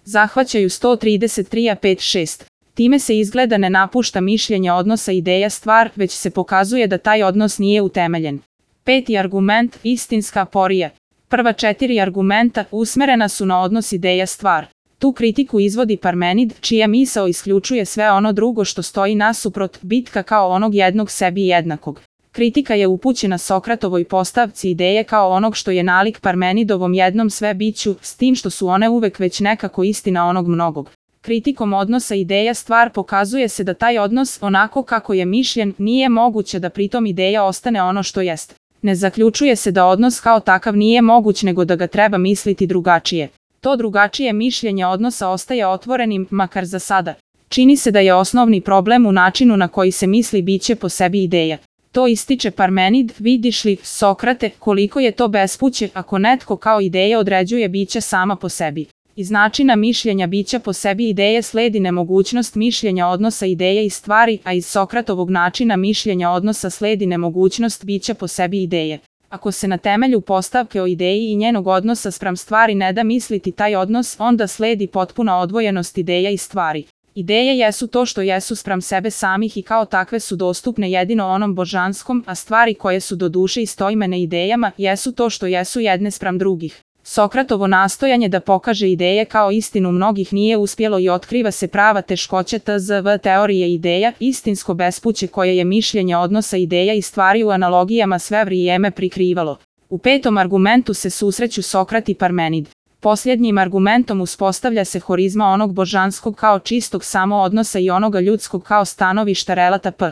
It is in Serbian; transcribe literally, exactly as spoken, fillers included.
zahvaćaju sto trideset tri a pet šest. Time se izgleda ne napušta mišljenje odnosa ideja stvar, već se pokazuje da taj odnos nije utemeljen. Peti argument, istinska aporija. Prva četiri argumenta usmerena su na odnos ideja stvar. Tu kritiku izvodi Parmenid, čija misao isključuje sve ono drugo što stoji nasuprot, bitka kao onog jednog sebi jednakog. Kritika je upućena Sokratovoj postavci ideje kao onog što je nalik Parmenidovom jednom sve biću, s tim što su one uvek već nekako istina onog mnogog. Kritikom odnosa ideja stvar pokazuje se da taj odnos, onako kako je mišljen, nije moguće da pritom ideja ostane ono što jest. Ne zaključuje se da odnos kao takav nije moguć, nego da ga treba misliti drugačije. To drugačije mišljenje odnosa ostaje otvorenim, makar za sada. Čini se da je osnovni problem u načinu na koji se misli biće po sebi ideja. To ističe Parmenid, vidiš li, Sokrate, koliko je to bespuće ako netko kao ideja određuje biće sama po sebi. Iz načina mišljenja bića po sebi ideje sledi nemogućnost mišljenja odnosa ideje i stvari, a iz Sokratovog načina mišljenja odnosa sledi nemogućnost bića po sebi ideje. Ako se na temelju postavke o ideji i njenog odnosa spram stvari ne da misliti taj odnos, onda sledi potpuna odvojenost ideja i stvari. Ideje jesu to što jesu spram sebe samih i kao takve su dostupne jedino onom božanskom, a stvari koje su do duše istoimene idejama jesu to što jesu jedne spram drugih. Sokratovo nastojanje da pokaže ideje kao istinu mnogih nije uspjelo i otkriva se prava teškoća tzv teorije ideja, istinsko bespuće koje je mišljenje odnosa ideja i stvari u analogijama sve vrijeme prikrivalo. U petom argumentu se susreću Sokrat i Parmenid. Posljednjim argumentom uspostavlja se horizma onog božanskog kao čistog samo odnosa i onoga ljudskog kao stanovišta relata p.